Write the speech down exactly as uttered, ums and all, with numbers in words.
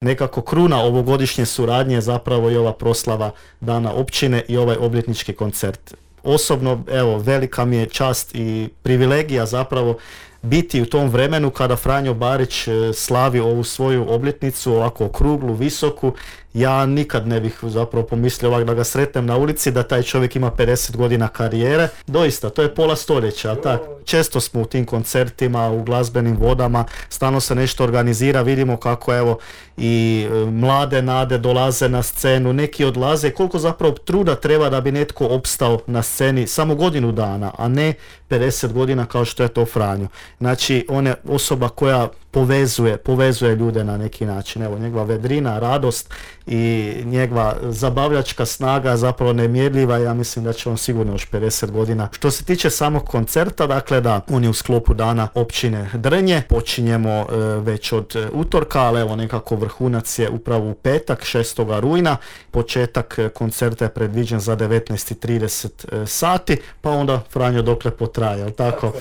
nekako kruna ovogodišnje suradnje je zapravo i ova proslava Dana općine i ovaj obljetnički koncert. Osobno, evo, velika mi je čast i privilegija zapravo biti u tom vremenu kada Franjo Barić slavi ovu svoju obljetnicu, ovako okruglu, visoku. Ja nikad ne bih zapravo pomislio ovak da ga sretnem na ulici, da taj čovjek ima pedeset godina karijere. Doista, to je pola stoljeća, tak? Često smo u tim koncertima, u glazbenim vodama, stalno se nešto organizira, vidimo kako evo i mlade nade dolaze na scenu, neki odlaze, koliko zapravo truda treba da bi netko opstao na sceni samo godinu dana, a ne pedeset godina kao što je to Franjo. Znači, on je osoba koja povezuje, povezuje ljude na neki način. Evo, njegova vedrina, radost i njegova zabavljačka snaga zapravo nemjerljiva. Ja mislim da će on sigurno još pedeset godina. Što se tiče samog koncerta, dakle da, on je u sklopu Dana općine Drnje. Počinjemo e, već od e, utorka, ali evo nekako vrhunac je upravo u petak, šestoga rujna. Početak e, koncerta je predviđen za devetnaest i trideset e, sati, pa onda Franjo dokle potraje, jel tako?